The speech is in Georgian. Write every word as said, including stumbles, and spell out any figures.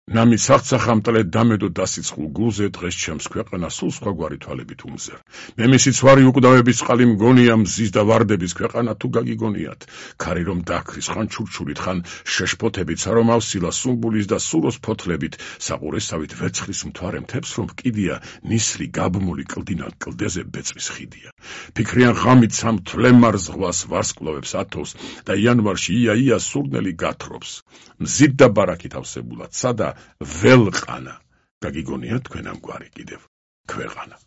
ნამი სახცახამტლე დამედო დასიცხულ გულზე დღეს ჩემს ქვეყანა სულ სხვაგვარი თვალებით უმზერ. მე მისი ცვარი უკვდავების წყალი მგონია მზის და ვარდების ქვეყანა თუ გაგიგონიათ. ქარი რომ დაქრის ხან ჩურჩულით ხან შეშფოთებით სარომ ავსილა სუმბულის და სუროს ფოთლებით საყურესავით ვერცხლის მთვარე მთებს რომ კიდია ნისლი გაბმული კლდინად კლდეზე ბეწვის ხიდია. ფიქრიან ღამით სამ თვლემარ ზღვას ვარსკვლავებს ათოვს და იანვარში ია ია სურნელი გათრობს. მზით და ბარაკით ავსებულად სადა ველყანა. გაგიგონია თქვენ ამგვარი კიდევ ქვეყანა.